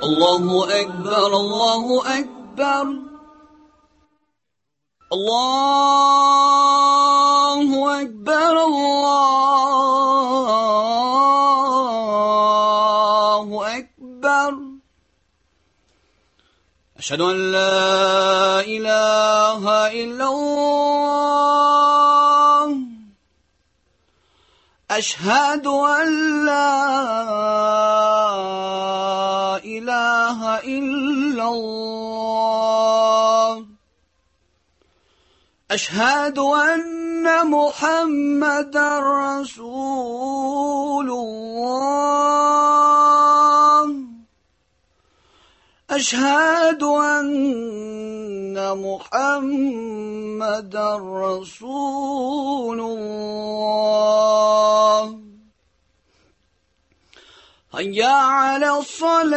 الله أكبر الله أكبر الله أكبر الله أكبر أشهد أن لا إله إلا الله أشهد أن لا إله إلا الله أشهد أن محمدا رسول الله أشهد أن محمدا رسول الله هيا على الصلاة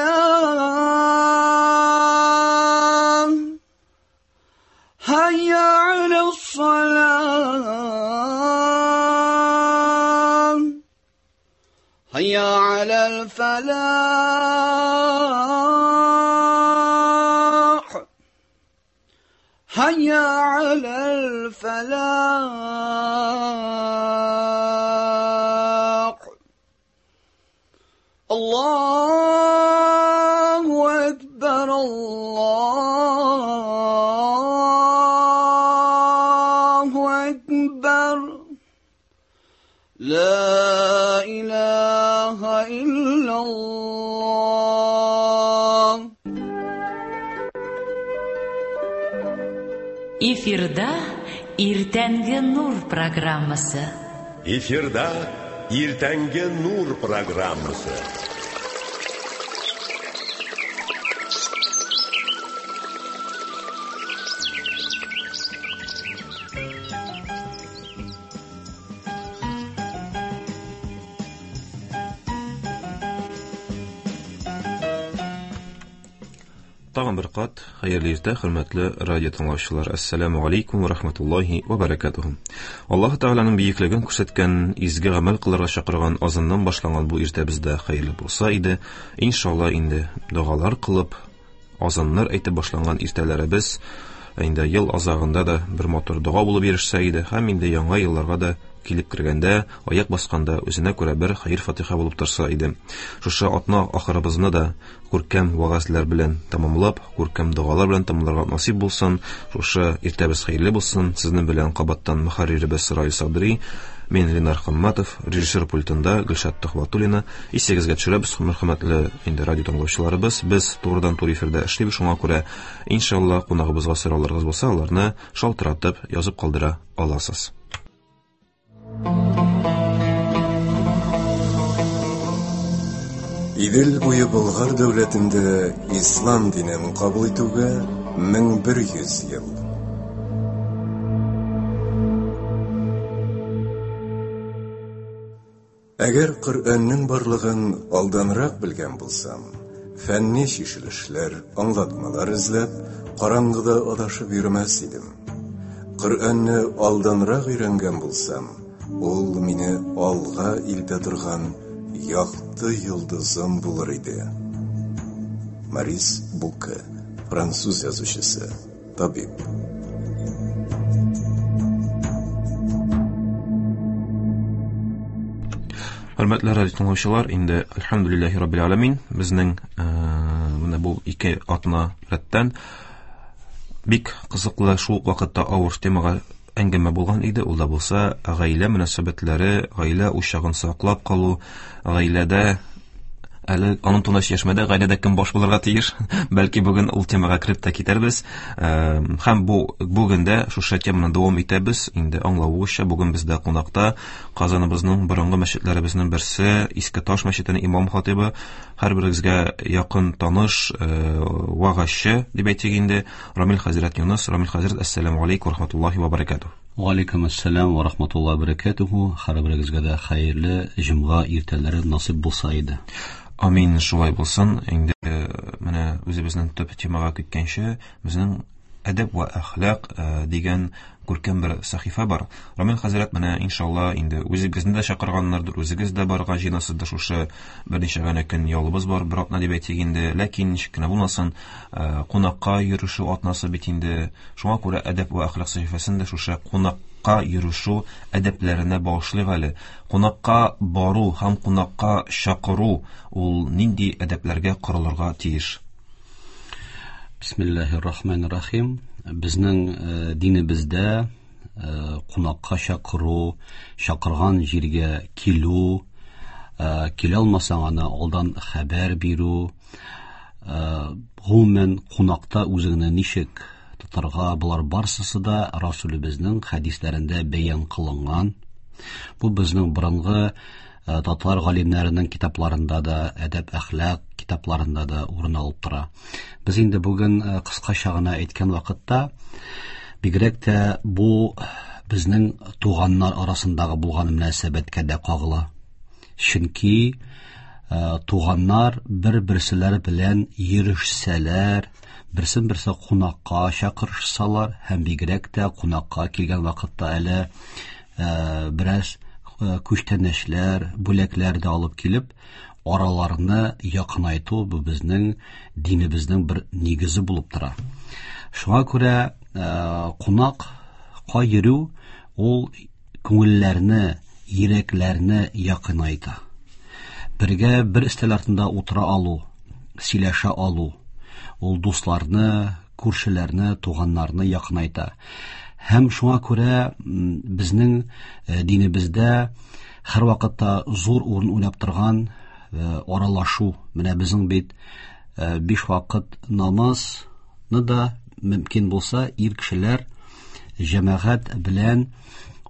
هيا على الصلاة هيا على الفلاح هيا على الفلاح الله أكبر الله أكبر لا إله إلا الله. Эфирда Иртәнге нур программасы. Эфирда Иртәнге нур программасы. Тагын бер кат хәерле иртә, хөрмәтле радио тыңлаучылар. Ассаламу алейкум ва рахматуллахи ва баракатуху. Аллаһ Тәгаләнең бөеклеген күрсәткән, изге гамәл кылырга чакырган азаннан башланган бу иртәбездә хәерле булса иде. Иншалла инде догалар кылып, азаннар әйтеп башланган иртәләребез инде ел азагында да бер матур дога булып ирешсә иде һәм инде яңа елларга да килеп кергәндә, аяк басканда үзенә күрә бер хәер-фатиха булып торса иде. Шушы атна ахырыбызны да күркәм вәгазьләр белән тәмамлап, күркәм догалар белән тәмамларга насыйп булсын. Шушы иртәбез хәерле булсын. Сезнең белән кабаттан мөхәрриребез Раил Садри, мин Ленар Хамматов, режиссер пультында Гөлшат Төхвәтуллина. Исегезгә төшерәбез, хөрмәтле инде радио тыңлаучыларыбыз, без турыдан-туры эфирда эшлибез, шуңа күрә иншалла кунагыбызга сорауларыгыз булса, аларны шалтыратып язып калдыра аласыз. Идел буе Болгар дәүләтендә ислам динен кабул итүгә 1100 ел. Әгәр Коръәннең барлыгын алданрак белгән булсам, фәнни чишелешләр, аңлатмалар эзләп, караңгыда адашып йөрмәс идем. Коръәнне алданрак өйрәнгән булсам, ул мине алга илтә торган якты йолдызым булыр иде. Морис Буке, француз язучысы, табиб. Хөрмәтле радио тыңлаучылар, инде әлхәмдүлилләһи раббил аламин, безнең менә бу ике атна рәттән бик кызыклы, шул ук вакытта авыр темага әңгәмә булган иде. Ул да булса гаилә мөнәсәбәтләре, гаилә учагын саклап калу, гаиләдә әле аның турында сөйләшмәдә, гаиләдә кем баш булырга тиеш, бәлки бүген ул темага кереп тә китәрбез. Һәм бу бүген дә шушы теманы дәвам итәбез. Инде аңлавыгызча, бүген бездә кунакта Казаныбызның борынгы мәчетләребезнең берсе, Иске Таш мәчетенең имам хатибы, һәрберегезгә якын таныш, вагазчы дип әйтик инде, Рамил хәзрәт Юныс. Рамил хәзрәт, ассаламу алейкум ва рахматуллахи ва баракатуһ. Ва алейкум ассалам ва рахматуллахи ва баракатуһ. Һәрберегезгә дә хәерле җомга иртәләре насыйп булса иде. Амин, шулай булсын. Инде менә үзебезнең төп темага киткәнче, безнең Әдәп вә әхлак дигән күркәм бер сәхифә бар. Рамил хәзрәт, менә иншалла инде үзегезне дә чакырганнардыр, үзегез дә барырга җыенасыздыр, шушы берничә генә көн ялыбыз бар, бер атна дип әйтик инде. Ләкин ничек кенә булмасын, кунакка йөрешү атнасы бит инде. Шуңа күрә Әдәп вә әхлак сәхифәсен дә шушы кунакка йөрешү әдәпләренә багышлыйк әле. Кунакка бару һәм кунакка чакыру ул нинди әдәпләргә корылырга тиеш? Бисмиллахир рахманир рахим. Безнең динебездә кунакка чакыру, чакырган җиргә килү, килә алмасаң аны алдан хәбәр бирү, гомумән кунакта үзеңне ничек тотарга, болар барсысы да Расулебезнең хәдисләрендә бәян кылынган. Бу безнең борынгы татар галимнәренең китапларында да, әдәп-әхлак китапларында да урын алып тора. Без инде бүген кыскача гына әйткән вакытта, бигрәк тә бу безнең туганнар арасындагы булган мөнәсәбәткә дә кагыла. Чөнки туганнар бер-берселәре белән йөрешсәләр, берсен-берсе кунакка чакырышсалар һәм бигрәк тә кунакка килгән вакытта әле бераз күчтәнәчләр, бүләкләр дә алып килеп, араларны якынайту бу безнең динебезнең бер нигезе булып тора. Шуңа күрә кунакка йөрү ул күңелләрне, йөрәкләрне якынайта. Бергә бер өстәл артында утыра алу, сөйләшә алу, ул дусларны, күршеләрне, туганнарны якынайта. Һәм шуңа күрә безнең динебездә һәр вакытта зур урын уйнап торган аралашу. Менә безнең бит 5 вакыт намазны да мөмкин булса ир кешеләр җәмәгать белән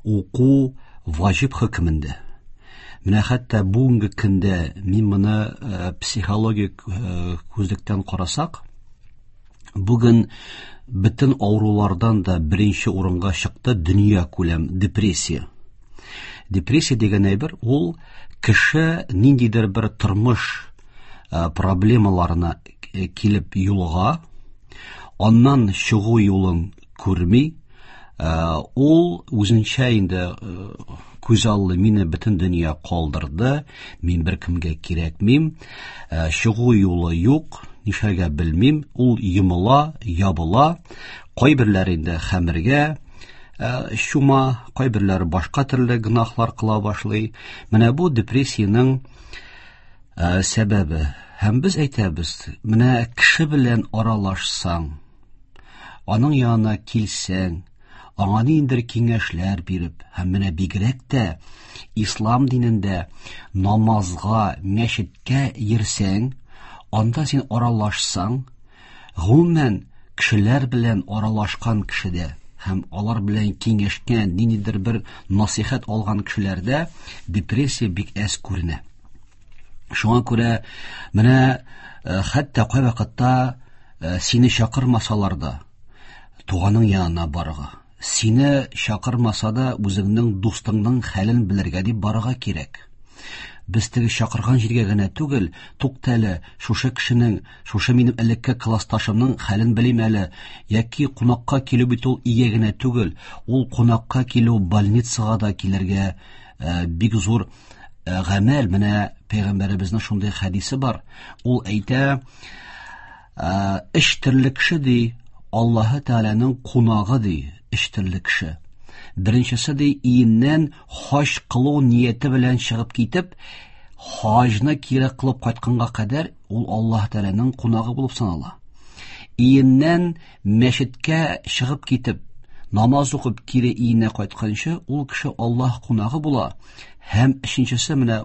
уку ваҗиб хөкемендә. Менә хәтта бүгенге көндә мин моны психологик күзлектән карасак, бүген бөтен авырулардан да беренче урынга чыкты дөнья күләм депрессия. Депрессия дигән әйбер ул кеше ниндидер бер тормыш проблемаларына килеп юлыга, аннан чыгу юлын күрми, ул үзенчә инде күз аллы мине бөтен дөнья калдырды, мин беркемгә кирәкмим, чыгу юлы юк, нишләргә белмим, ул йомыла, ябыла, кайберләре инде хәмергә чума, кайберләре башка төрле гөнаһлар кыла башлый. Менә бу депрессиянең сәбәбе. Һәм без әйтәбез, менә кеше белән аралашсаң, аның янына килсәң, аңа ниндидер киңәшләр биреп, һәм менә бигрәк тә ислам динендә намазга, мәчеткә йөрсәң, анда син аралашсаң, гомумән кешеләр белән аралашкан кешедә һәм алар белән киңәшкән, ниндидер бер насыйхат алган кешеләрдә депрессия бик әз күренә. Шуңа күрә менә хәтта кайвакытта сине чакырмасалар да, туганың янына барырга, сине чакырмаса да үзеңнең дустыңның хәлен белергә дип барырга кирәк. Без теге чакырган җиргә генә түгел, тукта әле, шушы кешенең, шушы минем элекке классташымның хәлен белим әле, яки кунакка килү бит ул өйгә генә түгел, ул кунакка килү больницага да килергә бик зур гамәл. Менә пәйгамбәребезнең шундый хәдисе бар. Ул әйтә, өч төрле кеше ди, Аллаһы Тәгаләнең кунагы ди, өч төрле кеше. Беренчесе ди, иеннән хаҗ кылу нияте белән чыгып китеп, хаҗны кире кылып кайтканга кадәр ул Аллаһ Тәгаләнең кунагы булып санала. Иеннән мәчеткә чыгып китеп, намаз укып кире иенә кайтканчы ул кеше Аллаһ кунагы була. Һәм өченчесе, менә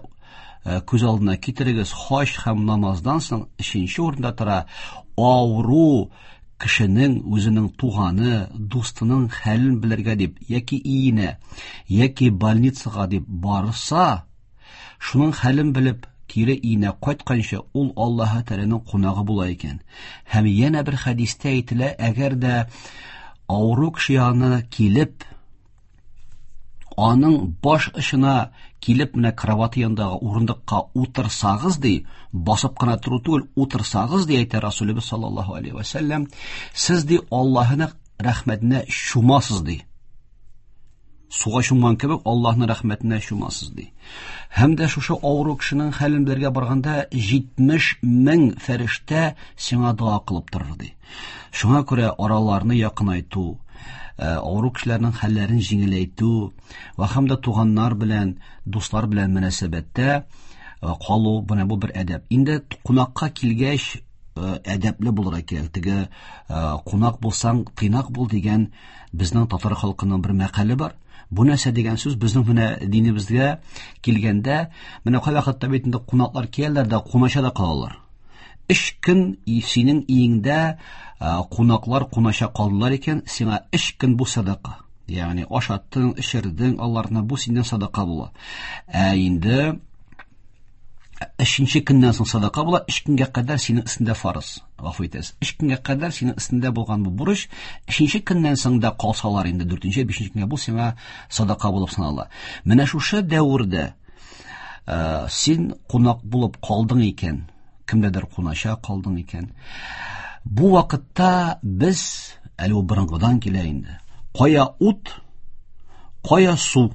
күз алдына китерегез, хаҗ һәм намаздан соң өченче урында тора авыру кешенең үзенең туганы, дустының хәлен белергә дип, яки иенә, яки больницага дип барса, шуның хәлен белеп кире иенә кайтканчы ул Аллаһы Тәгаләнең кунагы була икән. Һәм янә бер хәдистә әйтелә, әгәр дә авыру кеше янына килеп, Аның баш очына килеп менә кровать янындагы урындыкка утырсагыз ди, басып кына тору түгел, утырсагыз ди, әйтә Расулебез саллаллаһу алейхи ва сәлләм, сез ди Аллаһының рәхмәтенә чумасыз ди. Суга чумган кебек Аллаһның рәхмәтенә чумасыз ди. Һәм дә шушы авыру кешенең хәлен белергә барганда 70 мең фәрештә сиңа дога кылып торыр ди. Шуңа күрә араларны якынайту, авыру кешеләрнең хәлләрен җиңеләйтү ва һәм дә туганнар белән, дуслар белән мөнәсәбәттә калу, менә бу бер әдәп. Инде кунакка килгәч, әдәпле булырга кирәк. Теге кунак булсаң, тыйнак бул дигән безнең татар халкының бер мәкале бар. Бу нәрсә дигән сүз? Безнең менә динебезгә килгәндә, менә кайвакытта бит инде кунаклар киләләр дә кунача да калалар. 3 көн синең өеңдә кунаклар кунача калдылар икән, сиңа 3 көн бу садака. Ягъни ашаттың, эчердең аларны, бу синнән садака була. Ә инде өченче көннән соң садака була, 3 көнгә кадәр синең өстендә фарыз. Гафу итәсез. 3 көнгә кадәр синең өстендә булган бу бурыч, өченче көннән соң да калсалар инде дүртенче, бишенче көнгә бу сиңа садака булып санала. Менә шушы дәвердә син кунак булып калдың икән, кемдәдер кунача калдың икән. Бу вакытта без, әле ул борынгыдан килә инде, кая ут, кая су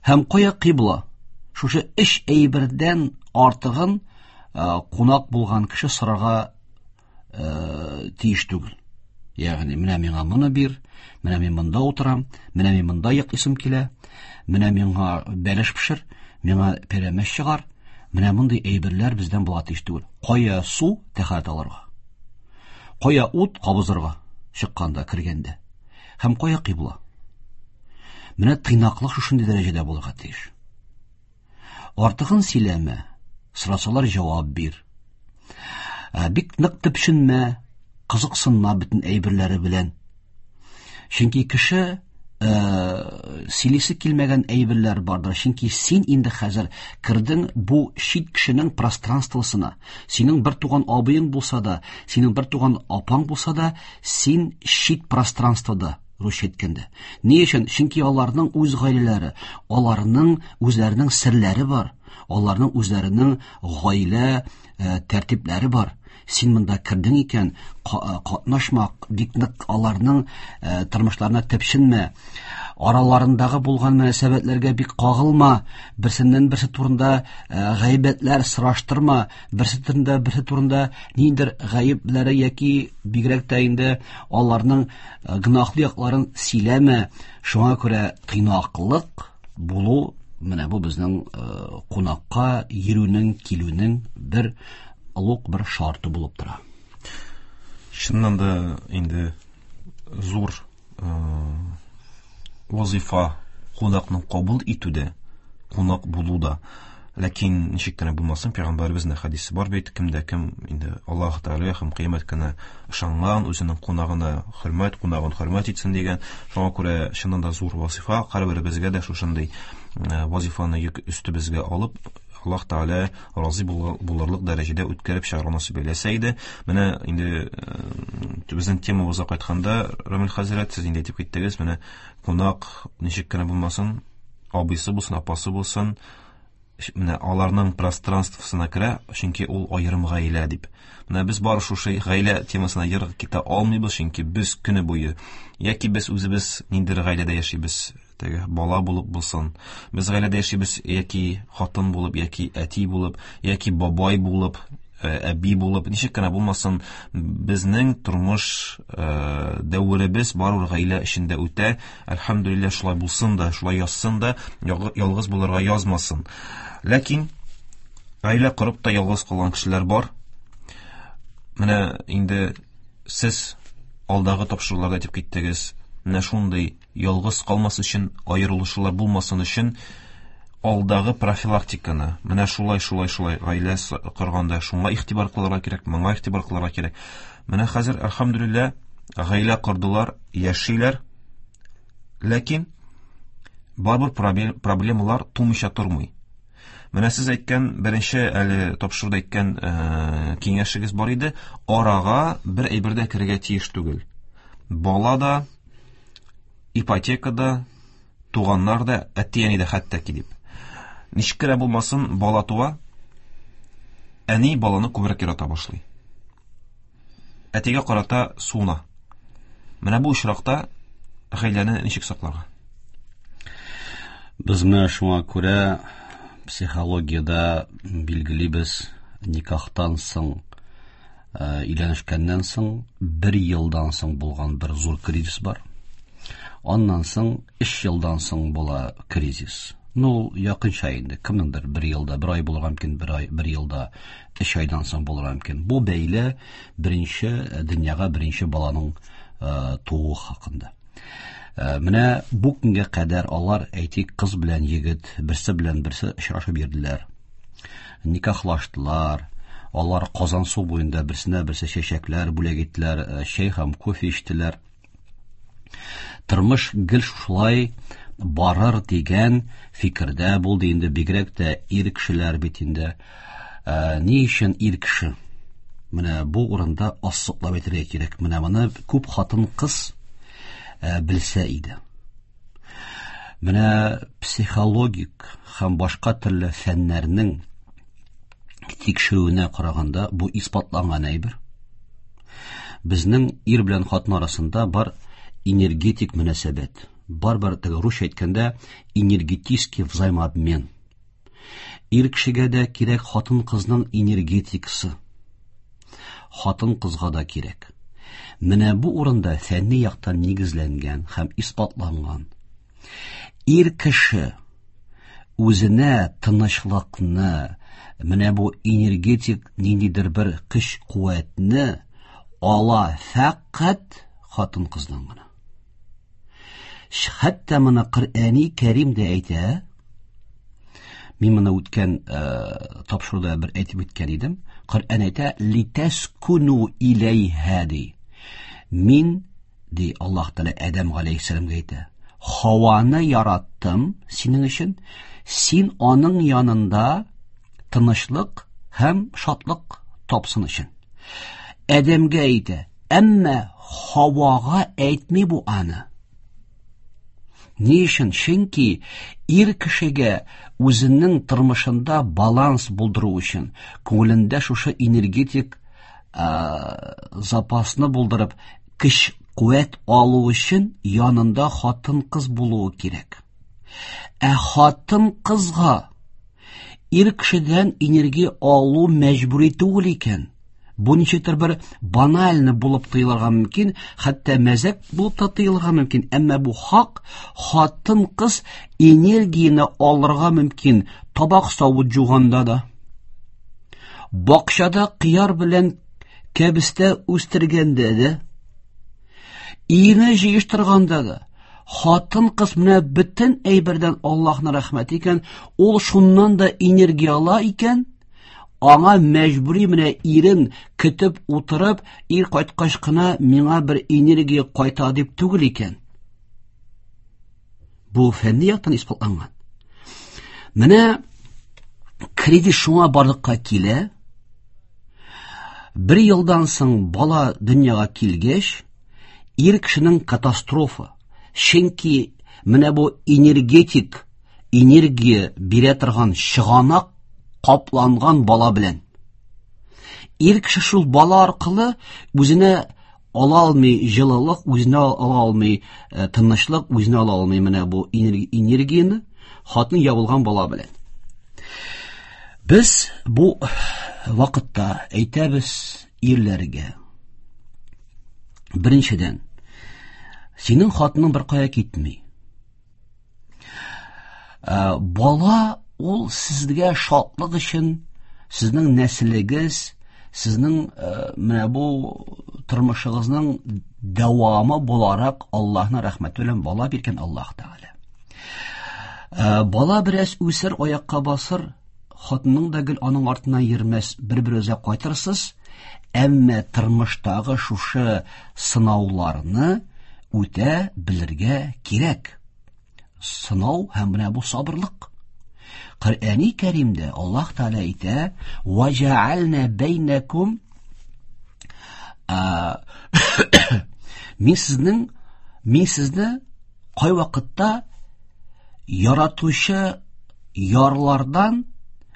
һәм кая кыйбла, шушы өч әйбердән артыгын кунак булган кеше сорарга тиеш түгел. Ягъни, менә миңа моны бир, менә мин монда утырам, менә мин монда йоклыйсым килә, менә миңа бәлеш пешер, миңа пәрәмәч чыгар. Менә мондый әйберләр бездән була тиеш түгел. Кая су, тәһарәт алырга. Кая ут, кабызырга, чыкканда, кергәндә. Һәм кая кыйбла. Менә тыйнаклык шушындый дәрәҗәдә булырга тиеш. Артыгын сөйләмә, сорасалар җавап бир. Бик нык төпченмә, кызыксынма бөтен әйберләре белән. Чөнки кеше сөйлисе килмәгән әйберләр бардыр. Чөнки син инде хәзер кердең бу чит кешенең пространствосына. Синең бер туган абыең булса да, синең бер туган апаң булса да, син чит пространствода, русча әйткәндә. Ни өчен? Чөнки аларның үз гаиләләре, аларның үзләренең серләре бар, аларның үзләренең гаилә тәртипләре бар. Син монда кердең икән, катнашма, бик нык аларның тормышларына тепшенмә. Араларындагы булган мөнәсәбәтләргә бик кагылма, берсеннән берсе турында гайбәтләр сораштырма, берсе турында берсе турында ниндидер гаепләре яки бигрәк тә инде аларның гөнаһлы якларын сөйләмә. Шуңа күрә тыйнаклык булу менә бу безнең кунакка йөрүнең, килүнең бер олуг бер шарты булып тора. Чыннан да инде зур вазифа кунакны кабул итүдә, кунак булуда. Ләкин ничек кенә булмасын, пәйгамбәребезнең хәдисе бар бит, кемдә кем инде Аллаһ Тәгаләгә һәм кыямәт көненә ышанган, үзенең кунагына хөрмәт, кунагын хөрмәт итсен дигән. Шуңа күрә чыннан да зур вазифа, һәрберебезгә дә шушындый вазифаны йөк өстебезгә алып, Аллаһ Тәгалә разый булырлык дәрәҗәдә үткәреп чыгарга насыйп әйләсә иде. Менә инде безнең темабызга кайтканда, Рамил хәзрәт, сез инде әйтеп киттегез, менә кунак ничек кенә булмасын, абыйсы булсын, апасы булсын, менә аларның пространствосына керә, чөнки ул аерым гаилә дип. Менә без бары шушы гаилә темасына ерак китә алмыйбыз, чөнки без көне буе яки без үзебез ниндидер гаиләдә яшибез, теге бала булып булсын, без гаиләдә яшибез яки хатын булып, яки әти булып, яки бабай булып, әби булып, ничек кенә булмасын, безнең тормыш дәверебез барыбер гаилә эчендә үтә. Әлхәмдүлилләһ, шулай булсын да, шулай язсын да, ялгыз булырга язмасын. Ләкин гаилә корып та ялгыз калган кешеләр бар. Менә инде сез алдагы тапшыруларда әйтеп киттегез, менә шундый ялгыз калмас өчен, аерылышулар булмасын өчен алдагы профилактиканы, менә шулай, шулай, шулай гаилә корганда шуңа игътибар кылырга кирәк, моңа игътибар кылырга кирәк. Менә хәзер, әлхәмдүлилләһ, гаилә кордылар, яшиләр, ләкин барыбер проблемалар тумыйча тормый. Менә сез әйткән, беренче әле тапшыруда әйткән киңәшегез бар иде, арага бер әйбер дә керергә тиеш түгел. Бала да, ипотека да, Туганнар да, әти-әни дә хәтта ки дип. Ничек кенә булмасын, бала туа, әни баланы күбрәк ярата башлый. Әтигә карата суына. Менә бу очракта гаиләне ничек сакларга? Без менә шуңа күрә психологиядә билгелибез, никахтан соң, өйләнешкәннән соң бер елдан соң булган бер зур кризис бар. Аннан соң 3 елдан соң була кризис. Ну, якынча инде, кемнеңдер бер елда бер ай булырга мөмкин, бер ай, бер елда 3 айдан соң булырга мөмкин. Бу бәйле беренче дөньяга беренче баланың тууы хакында. Менә бу көнгә кадәр алар, әйтик, кыз белән егет, берсе белән берсе очрашып йөрделәр. Никахлаштылар. Алар Казансу буенда берсенә берсе чәчәкләр бүләк иттеләр, чәй һәм кофе эчтеләр. Тормыш гел шулай барыр дигән фикердә булды инде, бигрәк тә ир кешеләр бит инде. Ни өчен ир кеше? Менә бу урында ассыклап әйтергә кирәк. Менә моны күп хатын-кыз белсә иде. Менә психологик һәм башка төрле фәннәрнең тикшерүенә караганда бу исбатланган әйбер. Безнең ир белән хатын арасында бар энергетик мөнәсәбәт. Бар бер теге русча әйткәндә энергетический взаимообмен. Ир кешегә дә кирәк хатын-кызның энергетикасы. Хатын-кызга да кирәк. Менә бу урында фәнни яктан нигезләнгән һәм исбатланган. Ир кеше үзенә тынычлыкны, менә бу энергетик ниндидер бер көч-куәтне ала фәкать хатын-кыздан гына. Хәтта моны Коръәни Кәрим дә әйтә. Мин моны үткән тапшыруда бер әйтеп үткән идем. Коръән әйтә, литәскуну иләйһә ди. Мин, ди Аллаһ Тәгалә Адәм галәйһиссәламгә әйтә, Хаваны яраттым синең өчен, син аның янында тынычлык һәм шатлык тапсын өчен. Адәмгә әйтә, әмма Хавага әйтми бу аны. Ни өчен? Чөнки ир кешегә үзенең тормышында баланс булдыру өчен, күңелендә шушы энергетик запасны булдырып, көч куәт алу өчен янында хатын-кыз булуы кирәк. Ә хатын-кызга ир кешедән энергия алу мәҗбүри түгел икән. Бу ничектер бер банальны булып тоелырга мөмкин, хәтта мәзәк булып та тоелырга мөмкин, әмма бу хак, хатын-кыз энергияне алырга мөмкин табак савыт жуганда да, бакчада кыяр белән кәбестә үстергәндә дә, өйне җыештырганда да. Хатын-кыз менә бөтен әйбердән Аллаһның рәхмәте икән, ул шуннан да энергия ала икән, аңа мәҗбүри менә ирен көтеп утырып, ир кайткач кына миңа бер энергия кайта дип түгел икән. Бу фәнни яктан исбатланган. Менә кризис шуңа барлыкка килә. Бер елдан соң бала дөньяга килгәч, ир кешенең катастрофа. Чөнки менә бу энергетик энергия бирә торган чыганак капланган бала белән. Ир кеше шул бала аркылы үзенә ала алмый җылылык, үзенә ала алмый тынычлык, үзенә ала алмый менә бу энергияне хатын ябылган бала белән. Без бу вакытта әйтәбез ирләргә. Беренчедән, синең хатының бер кая китми. Бала ул сезгә шатлык өчен, сезнең нәселегез, сезнең менә бу тормышыгызның дәвамы буларак Аллаһның рәхмәте белән бала биргән Аллаһ Тәгалә. Бала бераз үсер, аякка басыр, хатының да гел аның артыннан йөрмәс, бер-берегезгә кайтырсыз, әмма тормыштагы шушы сынауларны үтә белергә кирәк. Сынау һәм менә бу сабырлык. Коръәни Кәримдә Аллаһ Тәгалә әйтә: "Ва җәгальна бәйнәкум" Мин сезнең, мин сезне кайвакытта Яратучы ярлардан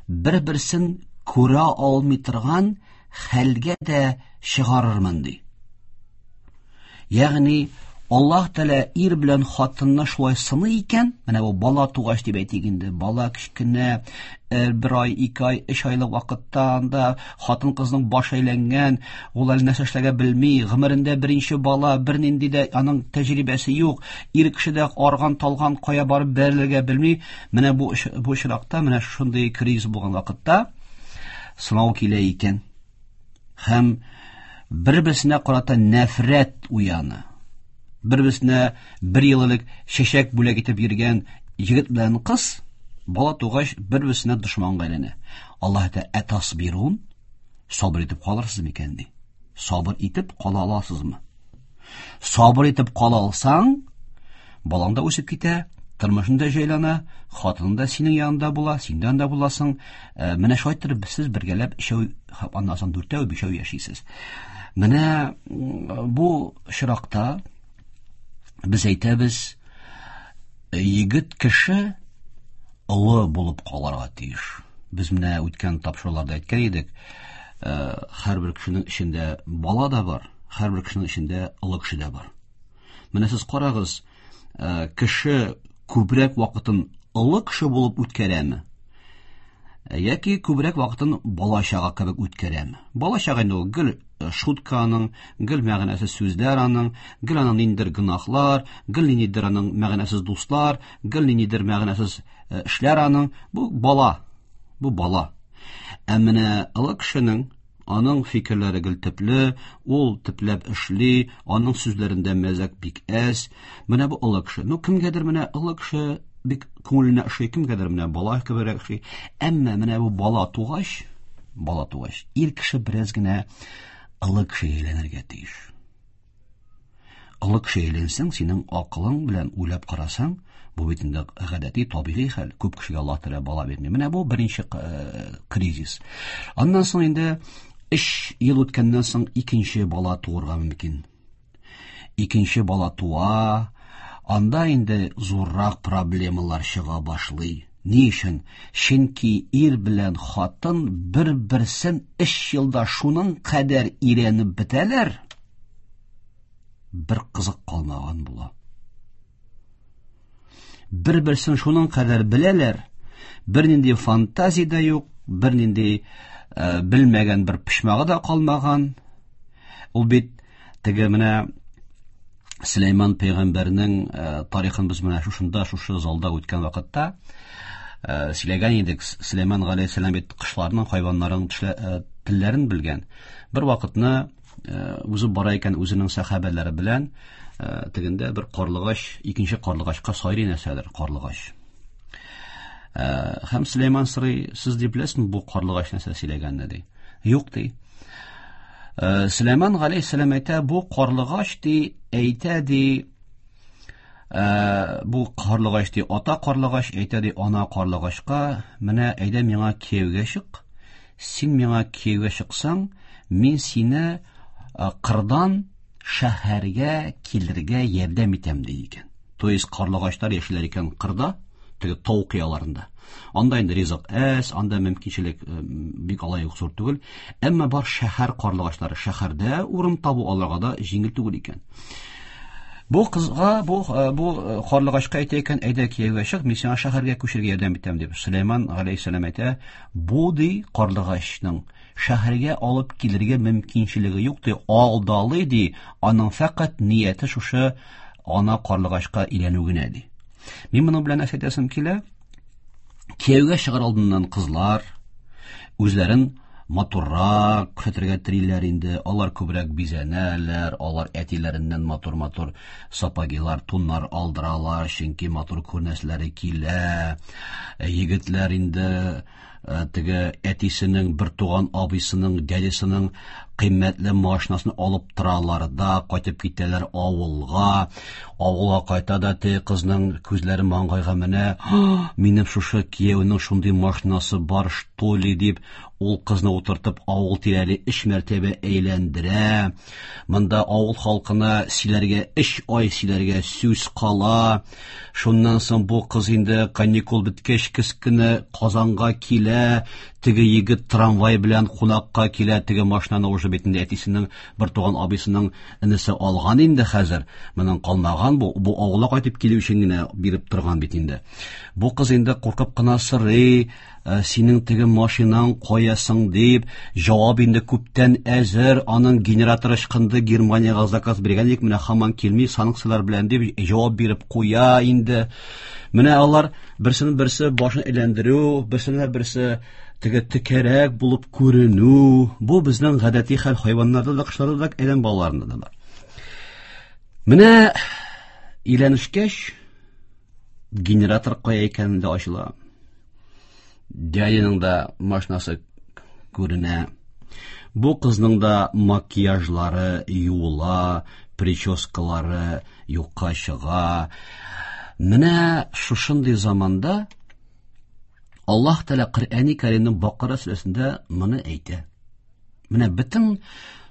бер-берсен күрә алмый торган хәлгә дә чыгарырмын, ди. Ягъни Аллаһ Тәгалә ир белән хатынны шулай сыный икән, менә бу бала тугач дип әйтик инде, бала кечкенә, бер ай, ике ай, өч айлык вакытта анда хатын-кызның башы әйләнгән, ул әле нәрсә эшләргә белми, гомерендә беренче бала, бернинди дә аның тәҗрибәсе юк, ир кеше дә арган, талган, кая барып бәрелергә белми. Менә бу бу очракта, менә шундый кризис булган вакытта сынау килә икән. Һәм бер-берсенә карата нәфрәт уяна. Бер-берсенә бер ел элек чәчәк бүләк итеп йөргән егет белән кыз бала тугач бер-берсенә дошманга әйләнә. Аллаһ әйтә, "Әтасбирун?" Сабыр итеп калырсыз микән ди. Сабыр итеп кала аласызмы? Сабыр итеп кала алсаң, балаң да үсеп китә, тормышың да җайлана, хатының да синең янында була, син дә анда буласың. Э, менә шулай итеп сез бергәләп өчәү, аннан соң дүртәү, бишәү яшисез. Менә бу очракта без әйтәбез, егет кеше олы булып калырга тиеш. Без менә үткән тапшыруларда әйткән идек, э, һәрбер кешенең эчендә бала да бар, һәрбер кешенең эчендә олы кеше дә бар. Менә сез карагыз, э, кеше күбрәк вакытын олы кеше булып үткәрәме? Э, яки күбрәк вакытын бала чага кебек үткәрәме? Бала чага инде ул гел э, шутка аның, гел мәгънәсез сүзләр аның, гел аның ниндидер гөнаһлар, гел ниндидер аның мәгънәсез дуслар, гел ниндидер мәгънәсез эшләр аның. Бу бала. Бу бала. Ә менә олы кешенең Аның фикерләре гел төпле, ул төпләп эшли, аның сүзләрендә мәзәк бик әз. Менә бу олы кеше. Ну, кемгәдер менә олы кеше бик күңеленә ошый, кемгәдер менә бала кеберәк ошый. Әмма менә бу бала тугач, бала тугач, ир кеше бераз генә олы кешегә әйләнергә тиеш. Олы кеше әйләнсәң, синең акылың белән уйлап карасаң, бу бит инде гадәти, табигый хәл. Күп кешегә Аллаһ Тәгалә бала бирми. Менә бу беренче э, кризис. Аннан соң инде 3 ел үткәннән соң икенче бала туырга мөмкин. Икенче бала туа, анда инде зуррак проблемалар чыга башлый. Ни өчен? Чөнки ир белән хатын бер-берсен өч елда шуның кадәр өйрәнеп бетәләр, бер кызык калмаган була. Бер-берсен шуның кадәр беләләр, бернинди фантазия дә юк, бернинди э, белмәгән бер почмагы да калмаган. Ул бит теге менә Сөләйман пәйгамбәрнең э, тарихын без менә шушында, шушы залда үткән вакытта э, сөйләгән идек. Сөләйман галәйһиссәлам бит кошларның, хайваннарның э, телләрен белгән. Бер вакытны узып бара икән үзенең сәхабәләре белән, тегендә бер карлыгач, икенче карлыгачка сайрый нәрсәдер, карлыгач. Һәм Сөләйман сорый, сез ди беләсезме бу карлыгач нәрсә сөйләгәнне ди. Юк ди. Э, Сөләйман галәйһиссәлам әйтә, бу карлыгач ди, әйтә ди, э, бу карлыгач ди, ата карлыгач әйтә ди, ана карлыгачка, менә әйдә миңа кияүгә чык. Син миңа кияүгә чыксаң, мин сине э, кырдан шәһәргә килергә ярдәм итәм ди икән. То есть карлыгачлар яшиләр икән кырда, теге тау кыяларында. Анда инде ризык әз, анда мөмкинчелек э, бик алай ук зур түгел. Әмма бар шәһәр карлыгачлары, шәһәрдә урын табу аларга да җиңел түгел икән. Бу кызга, бу э, бу э, карлыгачка әйтә икән, әйдә кияүгә чык, мин сиңа шәһәргә күчәргә ярдәм итәм дип. Сөләйман галәйһиссәлам әйтә, бу ди карлыгачның шәһәргә алып килергә мөмкинчелеге юк ди, алдалый ди, аның фәкать нияте шушы ана карлыгачка өйләнү генә ди. Мин моның белән нәрсә әйтәсем килә? Кияүгә чыгар алдыннан кызлар үзләрен матуррак күрсәтергә телиләр инде. Алар күбрәк бизәнәләр, алар әтиләреннән матур-матур сапогилар, туннар алдыралар, чөнки матур күренәселәре килә. Егетләр инде. Теге әтисенең бер туган абыйсының, дядясының кыйммәтле машинасын алып торалар да, кайтып китәләр авылга. Авылга кайта да теге кызның күзләре маңгайга менә, минем шушы кияүнең шундый машинасы бар, что ли, дип, ул кызны утыртып авыл тирәли 3 мәртәбә әйләндерә. Монда авыл халкына сөйләргә 3 ай сөйләргә сүз кала. Шуннан соң бу кыз инде каникул беткәч көз көне Казанга килә, теге егет трамвай белән кунакка килә, теге машинаны уже бит инде әтисенең бер туган абыйсының энесе алган инде хәзер. Моның калмаган бу, бу авылга кайтып килү өчен генә биреп торган бит инде. Бу кыз инде куркып кына сорый, синең теге машинаң кая соң дип, җавап инде күптән әзер, аның генераторы ычкынды, Германиягә заказ биргән идек, менә һаман килми, санкцияләр белән дип җавап биреп куя инде. Менә алар берсенең берсе башын әйләндерү, берсенә берсе теге текәрәк булып күренү, бу безнең гадәти хәл, хайваннарда да, кошларда да, адәм балаларында да бар. Менә өйләнешкәч, генератор кая икәнен дә ачыла. Дядяның да машинасы күренә. Бу кызның да макияжлары юыла, прическалары юкка чыга. Менә шушындый заманда Аллаһ Тәгалә Коръәни Кәримнең Бакара сүрәсендә моны әйтә. Менә бөтен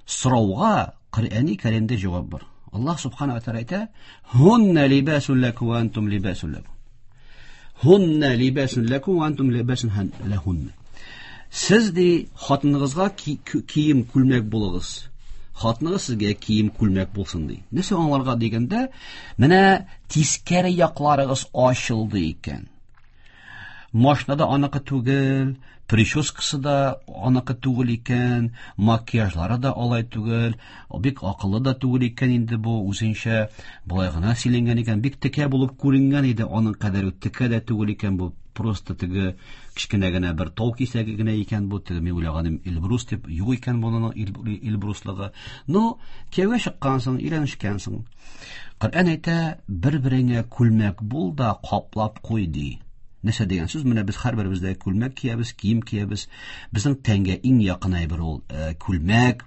сорауга Коръәни Кәримдә җавап бар. Аллаһ Субхана ва Тәгалә әйтә: "Һунна либасун лакум ва антум либасун лакум." Һунна либасун лакум ва антум либасун лахунна. Сез ди хатыныгызга кием күлмәк булыгыз. Хатыныгыз сезгә кием күлмәк булсын ди. Нәрсә аңларга дигәндә, менә тискәре якларыгыз ачылды икән. Машина да аныкы түгел, прическасы да аныкы түгел икән, макияжлары да алай түгел, бик акыллы да түгел икән инде бу, үзенчә болай гына сөйләнгән икән, бик текә булып күренгән иде, аның кадәр үк текә дә түгел икән бу, просто теге кечкенә генә бер тау кисәге генә икән бу, теге мин уйлаганым Эльбрус дип, юк икән моның Эльбруслыгы. Ну, кияүгә чыккансың, өйләнешкәнсең. Коръән әйтә, бер-береңә күлмәк бул да каплап куй ди. Нәрсә дигән сүз? Менә без һәрберебез дә күлмәк киябез, кием киябез. Безнең тәнгә иң якын әйбер ул күлмәк.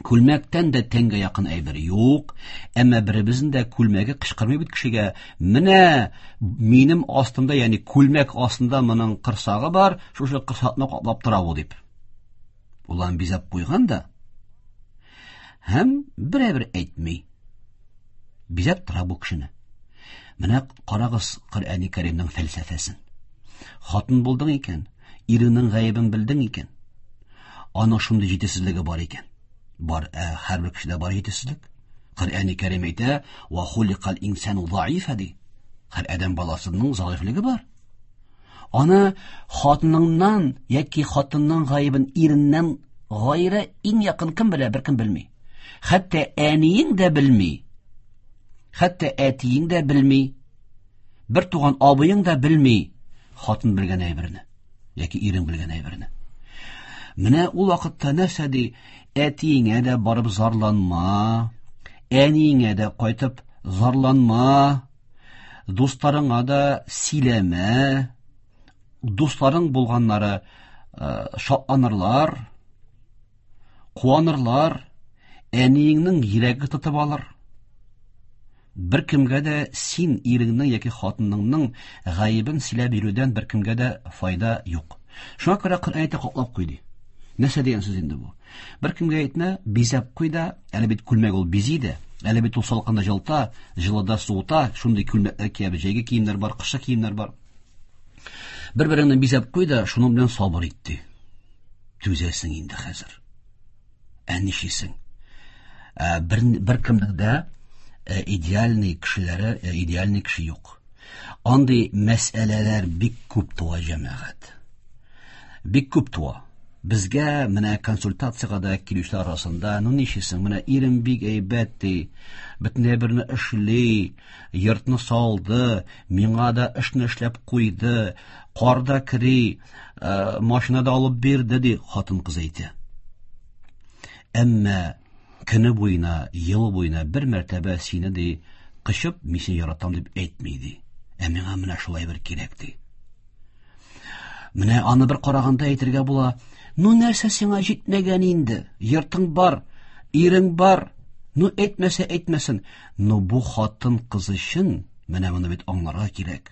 Күлмәктән дә тәнгә якын әйбер юк. Әмма беребезнең дә күлмәге кычкырмый бит кешегә. Менә минем астымда, ягъни күлмәк астында моның кырсагы бар, шушы кырсакны каплап тора бу дип. Ул аны бизәп куйган да. Һәм берәбер әйтми. Бизәп тора бу кешене. Менә карагыз Коръәни Кәримнең фәлсәфәсен. Хатын булдың икән, иреңнең гаебен белдең икән, аның шундый җитешсезлеге бар икән. Бар, һәрбер кешедә бар җитешсезлек. Коръәни Кәрим әйтә, "Ва хуликал инсану заифа" ди. Һәр адәм баласының заифлеге бар. Аны хатыныңнан яки хатынның гаебен иреннән гайре иң якын кем белә, беркем белми. Хәтта әниең дә белми. Хәтта әтиең дә белми. Бер туган абыең да белми хатын белгән әйберне яки ирең белгән әйберне. Менә ул вакытта нәрсә ди? Әтиеңә дә барып зарланма, әниеңә дә кайтып зарланма, дусларыңа да сөйләмә. Дусларың булганнары шатланырлар, куанырлар, әниеңнең йөрәге тотып алыр. Бер кемгә дә син иреңнең яки хатыныңның гаебен сөйләп йөрүдән бер кемгә дә файда юк. Шуңа күрә Коръән әйтә, каплап куй ди. Нәрсә дигән сүз инде бу? Бер кемгә әйтмә, бизәп куй да, әле бит күлмәк ул бизи дә, әле бит ул салкында җылыта, җылыда суыта, шундый күлмәкләр киябез, җәйге киемнәр бар, кышкы киемнәр бар. Бер-береңне бизәп куй да, шуның белән сабыр ит ди. Түзәсең инде хәзер. Ә нишлисең? Бер кемнең дә идеальный кешеләре, идеальный кеше юк. Андый мәсьәләләр бик күп туа, җәмәгать. Бик күп туа. Безгә менә консультациягә дә килүчеләр арасында, ну нишлисең, менә ирем бик әйбәт ди, бөтенләй берне эшли, йортны салды, миңа да эшне эшләп куйды, кар да кери, машина да алып бирде ди, хатын-кыз әйтә. Әмма көне буена, ел буена бер мәртәбә сине ди, кочып, мин сине яратам дип әйтми ди. Ә миңа менә шулай бер кирәк ди. Менә аны бер караганда әйтергә була, ну нәрсә сиңа җитмәгән инде? Йортың бар, ирең бар. Ну әйтмәсә әйтмәсен. Но бу хатын кыз өчен менә моны бит аңларга кирәк.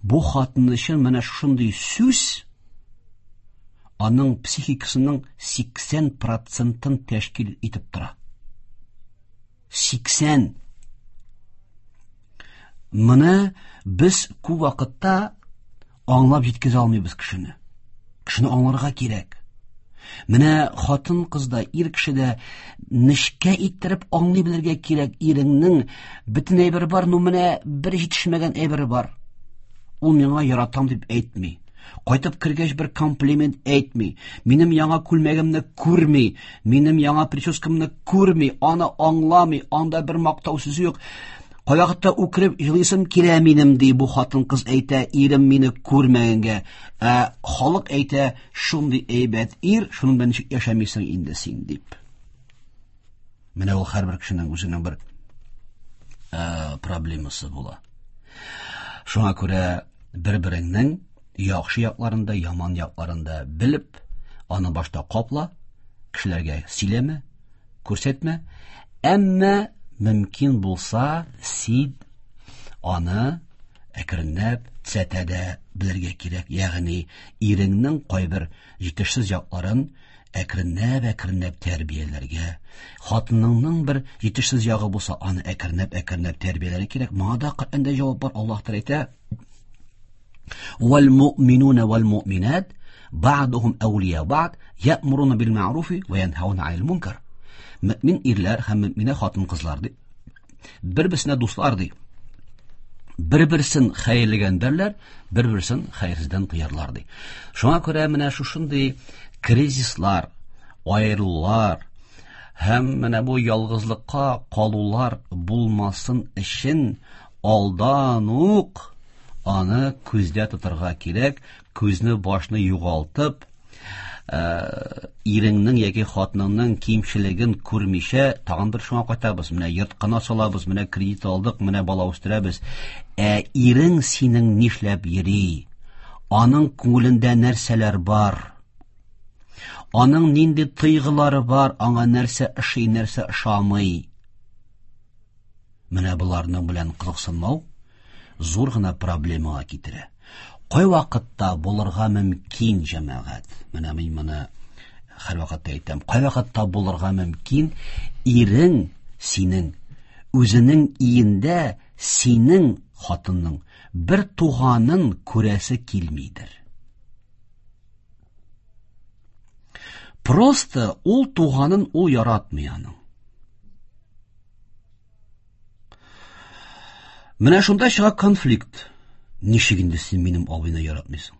Бу хатын өчен менә шундый сүз аның психикасының 80%-ын тәшкил итеп тора. 80. Моны без күп вакытта аңлап җиткезә алмыйбыз кешене. Кешене аңларга кирәк. Менә хатын кыз да, ир кеше дә нечкә иттереп аңлый белергә кирәк. Иреңнең бөтен әйбере бар, но менә бер җитешмәгән әйбере бар. Ул миңа яратам дип әйтми. Кайтып кергәч бер комплимент әйтми. Минем яңа күлмәгемне күрми, минем яңа прическамны күрми, аны аңламый, анда бер мактау сүзе юк. Кайвакытта үкереп елыйсым килә минем, ди бу хатын-кыз әйтә, ирем мине күрмәгәнгә. Ә халык әйтә, шундый әйбәт ир, шуның белән ничек яшәмисең инде син дип. Менә ул һәрбер кешенең үзенең бер проблемасы була. Шуңа күрә бер-береңнең яхшы якларын да, яман якларын да белеп, аны башта капла, кешеләргә сөйләмә, күрсәтмә. Әмма мөмкин булса, син аны әкренләп төзәтә дә белергә кирәк. Ягъни иреңнең кайбер җитешсез якларын әкренләп-әкренләп тәрбияләргә, хатыныңның бер җитешсез ягы булса, аны әкренләп-әкренләп тәрбияләргә кирәк. Моңа да Коръәндә җавап бар. Аллаһ Тәгалә әйтә: "Вал муъминуна вал муъминат бa'духум әүлия бa'д я'муруна бил мәгъруфи ва янһауна анил мункар." Мөмин ирләр һәм мөминә хатын-кызлар ди. Бер-берсенә дуслар ди. Бер-берсен хәерлегә өндәрләр, бер-берсен хәерсездән тыярлар ди. Шуңа күрә менә шушындый кризислар, аерылулар һәм менә бу ялгызлыкка калулар булмасын өчен алдан ук аны күздә тотарга кирәк, күзне башны югалтып, иреңнең яки хатыныңның кимчелеген күрмичә, тагын бер шуңа кайтабыз. Менә йорт кына салабыз, менә кредит алдык, менә бала үстерәбез. Ә ирең синең нишләп йөри? Аның күңелендә нәрсәләр бар? Аның нинди тойгылары бар? Аңа нәрсә ошый, нәрсә ошамый? Менә боларның белән кызыксынмау зур гына проблемага китерә. Кай вакытта булырга мөмкин, җәмәгать? Менә мин моны һәр вакытта әйтәм. Кай вакытта булырга мөмкин ирең синең үзенең иендә синең хатынның бер туганын күрәсе килмидер. Просто ул туганын ул яратмый аның. Менә шунда чыга конфликт. Ничек инде син минем абыйны яратмыйсың?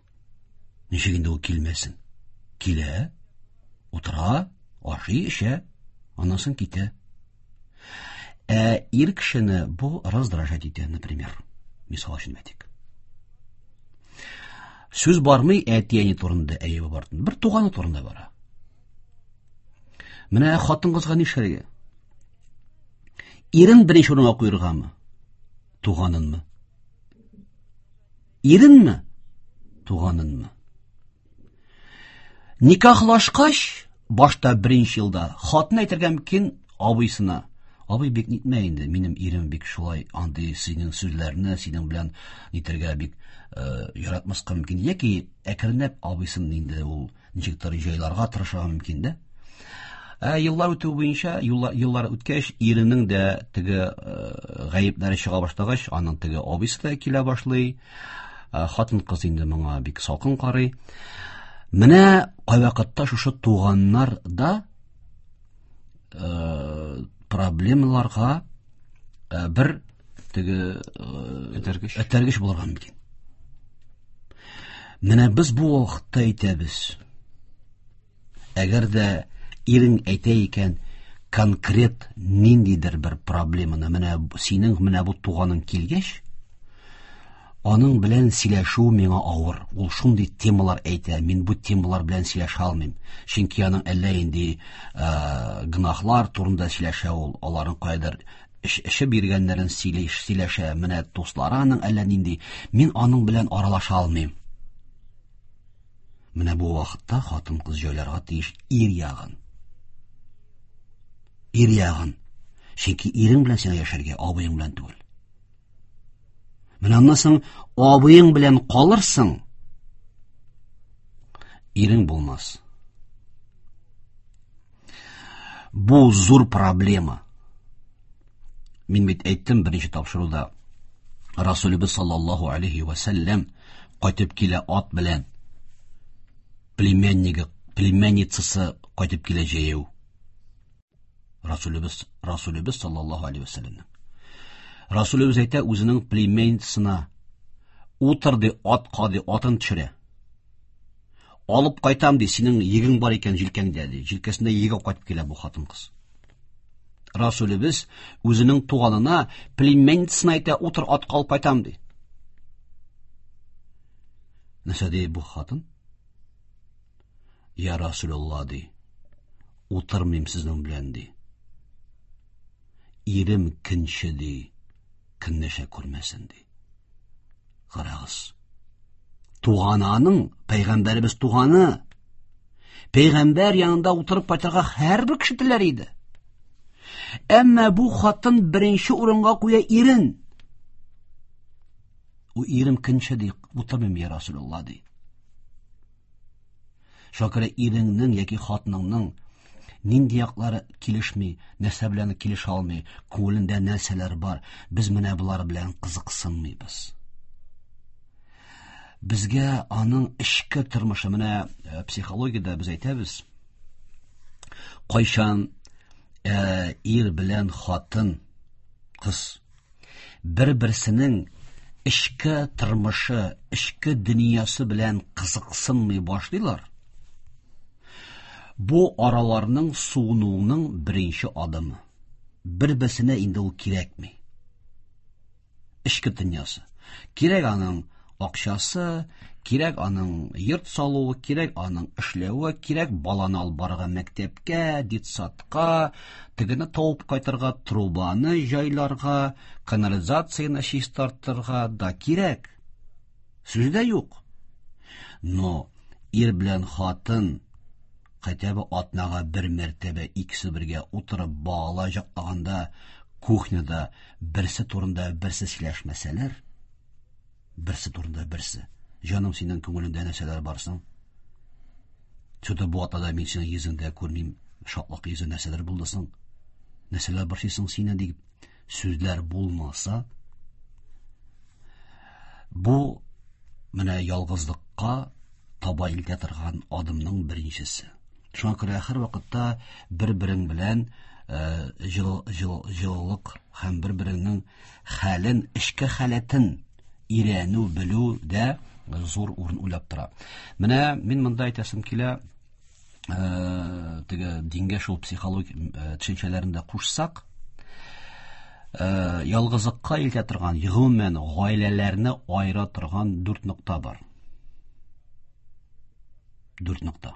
Ничек инде ул килмәсен? Килә, утыра, ашый, эчә, аннан соң китә. Ә ир кешене бу раздражать итә, например. Мисал өчен әйтик. Сүз бармый әти-әни турында, әйе бар. Бер туганы турында бара. Менә хатын-кызга нишләргә? Ирен беренче урынга куергамы? Туганынмы? Иренме? Туганынмы? Никахлашкач, башта беренче елда хатын әйтергә мөмкин абыйсына. Абый бик нитмә инде, минем ирем бик шулай андый синең сүзләрне, синең белән нитергә бик яратмаска мөмкин. Яки әкренләп абыйсын инде ул ничектер җайларга тырышырга мөмкин дә. Ә еллар үтү буенча, еллар үткәч, иренең дә теге гаепләре чыга башлагач, аның теге абыйсы да килә башлый. Хатын-кыз инде моңа бик салкын карый. Менә кайвакытта шушы туганнар да проблемаларга бер теге этәргеч булырга мөмкин. Менә без бу вакытта әйтәбез. Әгәр дә ирең әйтә икән, конкрет ниндидер бер проблеманы, менә синең менә бу туганың килгәч, аның белән сөйләшү миңа авыр. Ул шундый темалар әйтә, мин бу темалар белән сөйләшә алмыйм. Чөнки аның әллә инде гөнаһлар турында сөйләшә ул, аларның кайдыр эше биргәннәрен сөйләшә, менә дуслары аның әллә нинди. Мин аның белән аралаша алмыйм. Менә бу вакытта хатын-кыз җайларга тиеш ир ягын. Ир ягын. Чөнки ирең белән сиңа яшәргә, абыең белән түгел. Менә аннан соң абыең белән калырсың, ирең булмас. Бу зур проблема. Мин бит әйттем беренче тапшыруда, Расулыбыз саллаллаху алейхи ва сәлләм кайтып килә ат белән. Племяннигы, племянницасы кайтып килә җәяү. Расулыбыз, Расулыбыз саллаллаху алейхи ва сәлләмнең. Расулыбыз әйтә үзенең племянницасына, утыр ди, атка ди, атын төшерә. Алып кайтам ди, синең егең бар икән җилкәңдә ди. Җилкәсендә еге кайтып килә бу хатын-кыз. Расулебез үзенең туганына, племянницасына әйтә, утыр, атка алып кайтам ди. Нәрсә ди бу хатын? Я Расулулла ди. Утырмыйм сезнең белән ди. Ирем көнче ди. Көнләшә күрмәсен ди. Карагыз. Туганы аның, пәйгамбәребез туганы. Пәйгамбәр янында утырып кайтырга һәрбер кеше теләр иде. Әмма бу хатын беренче урынга куя ирен. У ирем көнче ди, утырмыйм я Расулулла ди. Шуңа күрә иреңнең яки хатыныңның нинди яклары килешми, нәрсә белән килешә алмый, күңелендә нәрсәләр бар, без менә болар белән кызыксынмыйбыз. Безгә аның эчке тормышы, менә э, психологиядә без әйтәбез, кайчан э, ир белән хатын, кыз бер-берсенең эчке тормышы, эчке дөньясы белән кызыксынмый башлыйлар, бу араларның суынуының беренче адымы. Бер-берсенә инде ул кирәкми. Эчке дөньясы. Кирәк аның акчасы, кирәк аның йорт салуы, кирәк аның эшләве, кирәк баланы алып барырга мәктәпкә, детсадка, тегене табып кайтырга, трубаны җайларга, канализацияне чистартырга да кирәк. Сүз дә юк. Но ир белән хатын хотя бы атнага бер мәртәбә икесе бергә утырып бала җаклаганда кухняда берсе турында берсе сөйләшмәсәләр, берсе турында берсе. Җаным, синең күңелеңдә нәрсәләр бар соң? Что-то бу атнада мин синең йөзеңдә күрмим, шатлык йөзе нәрсәләр булды соң? Нәрсәләр борчый соң сине дип сүзләр булмаса, бу менә ялгызлыкка таба илтә торган адымның беренчесе. Шуңа күрә һәр вакытта бер-берең белән җылылык һәм бер-береңнең хәлен, эчке халәтен өйрәнү, белү дә зур урын уйлап тора. Менә мин монда әйтәсем килә, теге дингә шул психологик төшенчәләрен дә кушсак, ялгызлыкка илтә торган, гомумән гаиләләрне аера торган дүрт нокта бар. Дүрт нокта.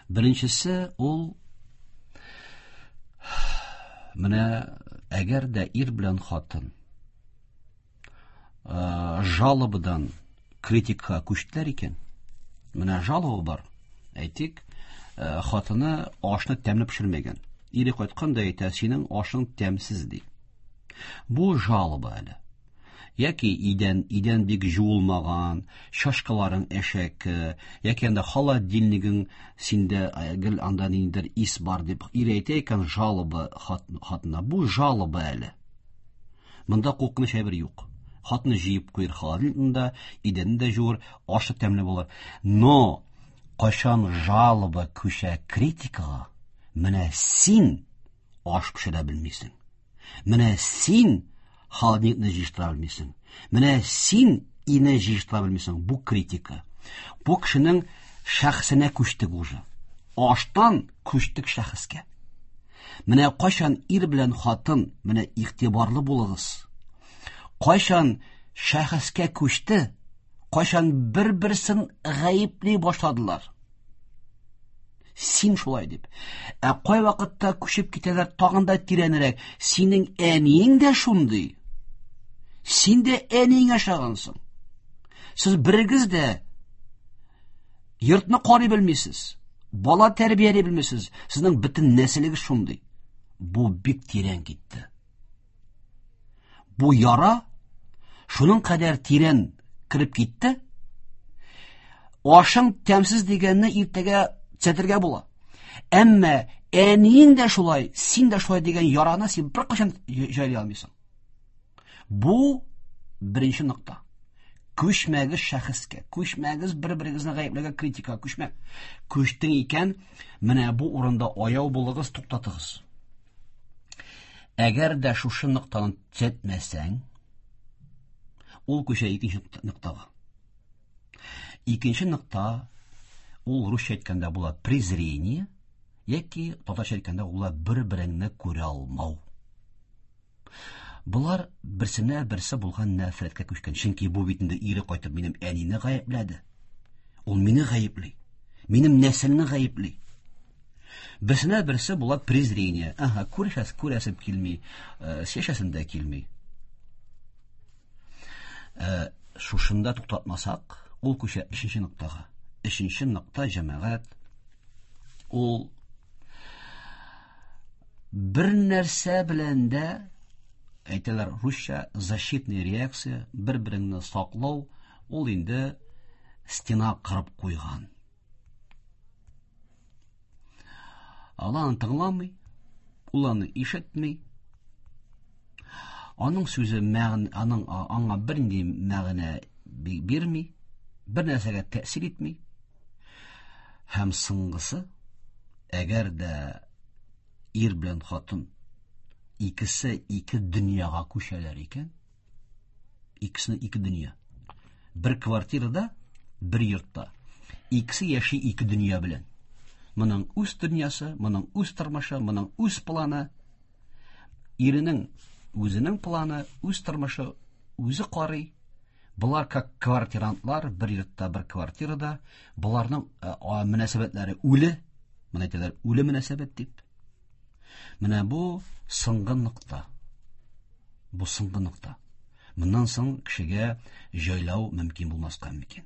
Беренчесе ул менә әгәр дә ир белән хатын жалобадан критикага күчтеләр икән, менә жалоба бар, әйтик, хатыны ашны тәмле пешермәгән. Ире кайткан да әйтә, синең ашың тәмсез ди. Бу жалоба әле. Яки идән, идән бик жуылмаган, чашкаларың әшәке, яки анда холодильнигың синдә гел анда ниндидер ис бар дип ир әйтә икән жалоба хатына. Бу жалоба әле. Монда куркыныч әйбер юк. Хатны җыеп куер холодильникны да, идәнне дә жуыр, ашы тәмле булыр. Но кайчан жалоба күчә критикага, менә син аш пешерә белмисең. Менә син холодильникны җыештыра белмисең. Менә син ине җыештыра белмисең. Бу критика. Бу кешенең шәхесенә күчтек уже. Аштан күчтек шәхескә. Менә кайчан ир белән хатын, менә игътибарлы булыгыз. Кайчан шәхескә күчте, кайчан бер-берсен гаепли башладылар. Син шулай дип. Ә кай вакытта күчеп китәләр тагын да тирәнрәк. Синең әниең дә шундый. Син дә әниеңә ошагансың. Сез берегез дә Йортны карый белмисез. Бала тәрбияли белмисез. Сезнең бөтен нәселегез шундый. Бу бик тирән китте. Бу яра шуның кадәр тирән кереп китте. Ашың тәмсез дигәнне иртәгә төзәтергә була. Әмма әниең дә шулай, син дә шулай дигән яраны син беркайчан җайлый алмыйсың. Бу беренче нокта. Күчмәгез шәхескә, күчмәгез бер-берегезне гаепләргә, критикага күчмә. Күчтең икән, менә бу урында аяу булыгыз, туктатыгыз. Әгәр дә шушы ноктаны төзәтмәсәң, ул күчә икенче ноктага. Икенче нокта ул русча әйткәндә була презрение, яки татарча әйткәндә була бер-береңне күрә алмау. Болар берсенә берсе булган нәфрәткә күчкән. Чөнки бу бит инде ире кайтып минем әнине гаепләде. Ул мине гаепли. Минем нәселне гаепли. Берсенә берсе була презрение. Ага, күрешәс, күрәсем килми, сөйләшәсем дә килми. Шушында туктатмасак, ул күчә өченче ноктага. Өченче нокта җәмәгать ул бер нәрсә белән дә әйтәләр русча защитная реакция, бер-береңне саклау, ул инде стена кырып куйган. Ул аны тыңламый, ул аны ишетми. Аның сүзе мәгънә, аның аңа бернинди мәгънә бирми, бер нәрсәгә тәэсир итми. Һәм соңгысы, әгәр дә ир белән хатын икесе ике дөньяга күчәләр икән, икесенең ике дөнья. Бер квартирада, бер йортта. Икесе яши ике дөнья белән. Моның үз дөньясы, моның үз тормышы, моның үз планы. Иренең үзенең планы, үз тормышы, үзе карый. Болар как квартирантлар, бер йортта, бер квартирада. Боларның мөнәсәбәтләре үле. Моны әйтәләр, үле мөнәсәбәт дип. Менә бу соңгы нокта. Бу соңгы нокта. Моннан соң кешегә җайлау мөмкин булмаска мөмкин.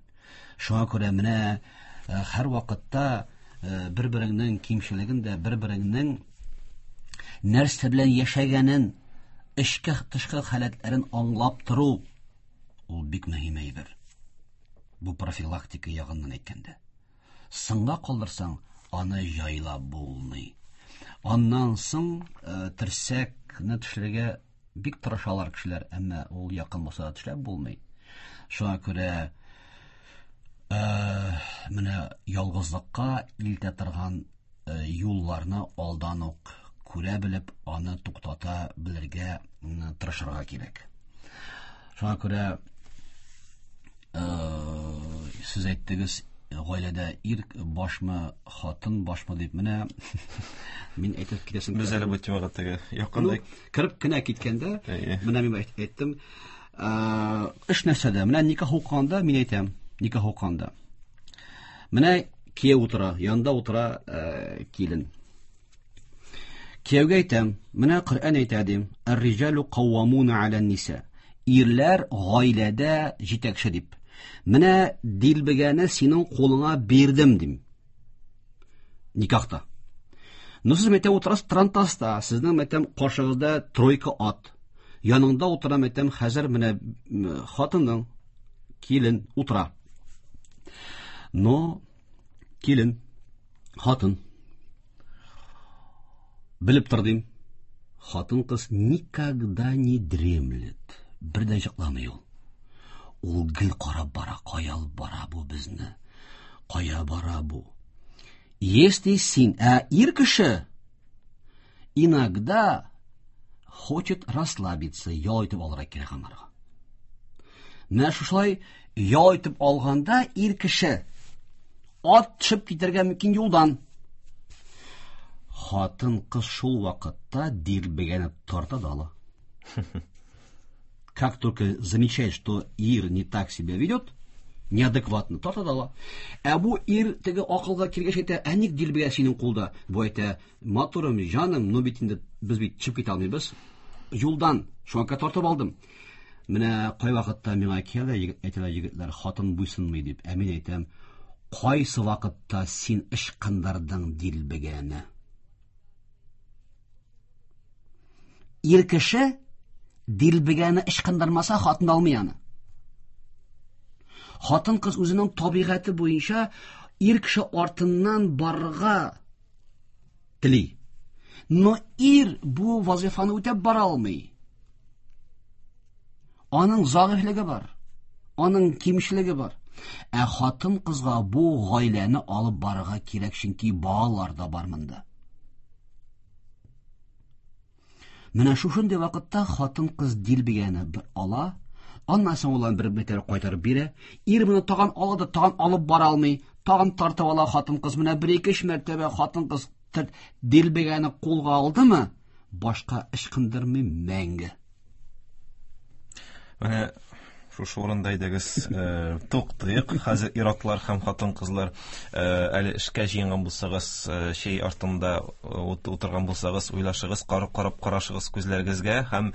Шуңа күрә менә һәр вакытта бер-береңнең кимчелеген дә, бер-береңнең нәрсә белән яшәгәнен, эчке тышкы халәтләрен аңлап тору ул бик мөһим әйбер. Бу профилактика ягыннан әйткәндә. Соңга калдырсаң, аны җайлап булмый. Аннан соң терсәкне төшерергә бик тырышалар кешеләр, әмма ул якын булса да төшләп булмый. Шуңа күрә менә ялгызлыкка илтә торган юлларны алдан ук күрә белеп, аны туктата белергә тырышырга кирәк. Шуңа күрә сез әйттегез, гаиләдә ир башмы, хатын башмы дип, менә мин әйтеп китәсем. Без әле бу темага теге якында кереп кенә киткәндә, менә мин әйттем, эш нәрсәдә? Менә никах укыганда мин әйтәм, никах укыганда. Менә кияү утыра, янында утыра килен. Кияүгә әйтәм, менә Коръән әйтә дим, Ар-риҗалу каввамуна аля ниса. Ирләр гаиләдә җитәкче дип. Менә дилбегәне синең кулыңа бирдем дим. Никахта. Ну сез мәйтәм утырасыз трантаста, сезнең мәйтәм каршыгызда тройка ат. Яныңда утыра мәйтәм хәзер менә хатының, килен утыра. Но килен, хатын белеп тор дим. Хатын-кыз никогда не дремлет. Бер дә йокламый ул. Ул гел карап бара, кая алып бара бу безне? Кая бара бу? Если син, ә ир кеше иногда хочет расслабиться, ял итеп алырга кирәк аңарга. Менә шушылай ял итеп алганда ир кеше ат төшеп китәргә мөмкин юлдан. Хатын-кыз шул вакытта дилбегәне тарта да ала. Как только замечает, что ир не так себя ведет, неадекватно, тарта да ала. Ә бу ир теге акылга килгәч әйтә, ә ник дилбегә синең кулда? Бу әйтә, матурым, җаным, ну бит инде без бит чыгып китә алмыйбыз. Юлдан, шуңа күрә тартып алдым. Менә кайвакытта миңа килә, әйтәләр егетләр, хатын буйсынмый дип. Ә мин әйтәм, Кайсы вакытта син ычкындырдың дилбегәне? Ир кеше дилбегәне ычкындырмаса, хатын алмый аны. Хатын кыз үзенең табигате буенча ир кеше артыннан барырга тели. Но ир бу вазифаны үтәп бара алмый. Аның зәгыйфьлеге бар. Аның кимчелеге бар. Ә хатын кызга бу гаиләне алып барырга кирәк, чөнки балалар да бар монда. Менә шушындый вакытта хатын-кыз дилбегәне бер ала, аннан соң ул аны бер мәртәбә кайтарып бирә. Ир моны тагын ала да тагын алып бара алмый, тагын тартып ала хатын-кыз. Менә бер ике өч мәртәбә хатын-кыз дилбегәне кулга алдымы, башка ычкындырмый мәңге. Менә шушы урында әйдәгез э, туктыйк. Хәзер ир-атлар һәм хатын-кызлар э, әле эшкә җыенган булсагыз, э, чәй артында утырган булсагыз, уйлашыгыз, карап карап карашыгыз күзләрегезгә һәм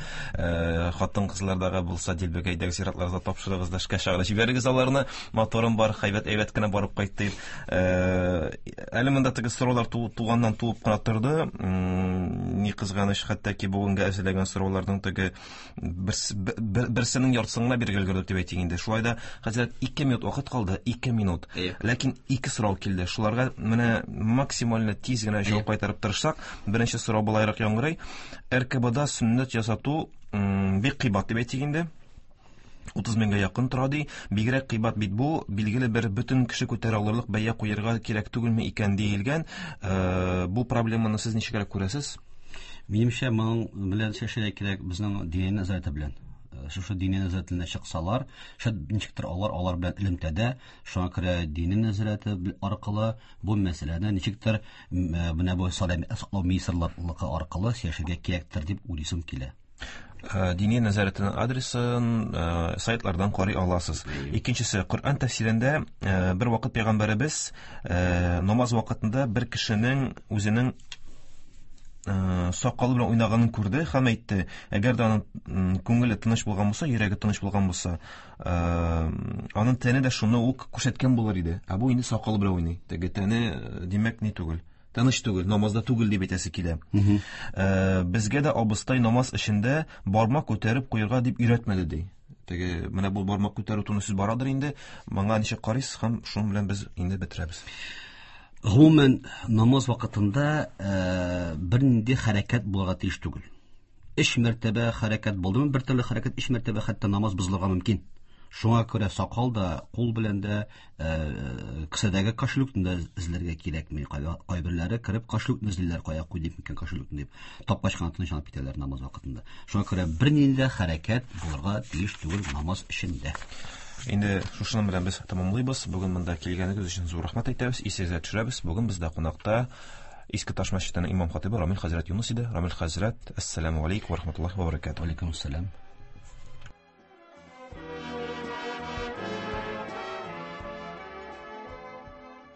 хатын-кызлардагы булса дилбегә әйдәгез ир-атларга тапшырыгыз да эшкә чыгарып җибәрегез аларны. Моторым бар, әйбәт әйбәт кенә барып кайт дип. Әле монда теге сораулар туганнан туып кына торды. Ни кызганыч, хәтта ки бүгенгә әзерләгән сорауларның теге берсенең яртысын гына бирергә өлгердек дип әйтик инде. Шулай да хәзер 2 минут вакыт калды, 2 минут. Ләкин ике сорау килде. Шуларга менә максимально тиз генә җавап кайтарып тырышсак, беренче сорау болайрак яңгырый. РКБда сөннәт ясату бик кыйбат дип әйтик инде. 30 меңгә якын тора ди. Бигрәк кыйбат бит бу. Билгеле бер бөтен кеше күтәрә алырлык бәя куярга кирәк түгелме икән диелгән. Бу проблеманы сез ничегрәк күрәсез? Минемчә, моның белән чәчәргә кирәк безнең дини нәзарәте белән. Шушы дини нәзарәтенә чыксалар, шәт ничектер алар алар белән элемтәдә, шуңа күрә дини нәзарәте аркылы бу мәсьәләне ничектер менә бу сәламәтлек саклау министрлыгы аркылы сөйләшергә кирәктер дип уйлыйсым килә. Диния нәзарәтенең адресын сайтлардан карый аласыз. Икенчесе, Коръән тәфсирендә бер вакыт пәйгамбәребез намаз вакытында бер кешенең үзенең сакалы белән уйнаганын күрде һәм әйтте, әгәр дә аның күңеле тыныч булган булса, йөрәге тыныч булган булса, аның тәне дә шуны ук күрсәткән булыр иде. Ә бу инде сакалы белән уйный. Теге тәне, димәк, ни түгел. Тыныч түгел, намазда түгел дип әйтәсе килә. Безгә дә абыстай намаз эчендә бармак күтәреп куярга дип өйрәтмәде ди. Теге менә бу бармак күтәрү турында сүз барадыр инде. Моңа ничек карыйсыз һәм шуның белән без инде бетерәбез. Гомумән, намаз вакытында бернинди хәрәкәт булырга тиеш түгел. Өч мәртәбә хәрәкәт булдымы, бер төрле хәрәкәт өч мәртәбә хәтта намаз бозылырга мөмкин. Шуңа күрә сакал да, кул белән дә, кесәдәге кошелекны да эзләргә кирәкми. Кайберләре кереп кошелекны эзлиләр, кая куйдым микән кошелекны дип. Тапкач кына тынычланып китәләр намаз вакытында. Шуңа күрә бернинди дә хәрәкәт булырга тиеш түгел намаз эчендә. Инде шушының белән без тәмамлыйбыз. Бүген монда килгәнегез өчен зур рәхмәт әйтәбез. Исегезгә төшерәбез. Бүген бездә кунакта Иске Таш мәчетенең имам хатибы Рамил хәзрәт Юныс иде. Рамил хәзрәт, әссәламү алейкум ва рахматуллаһи ва баракатуһ. Алейкум ассалам.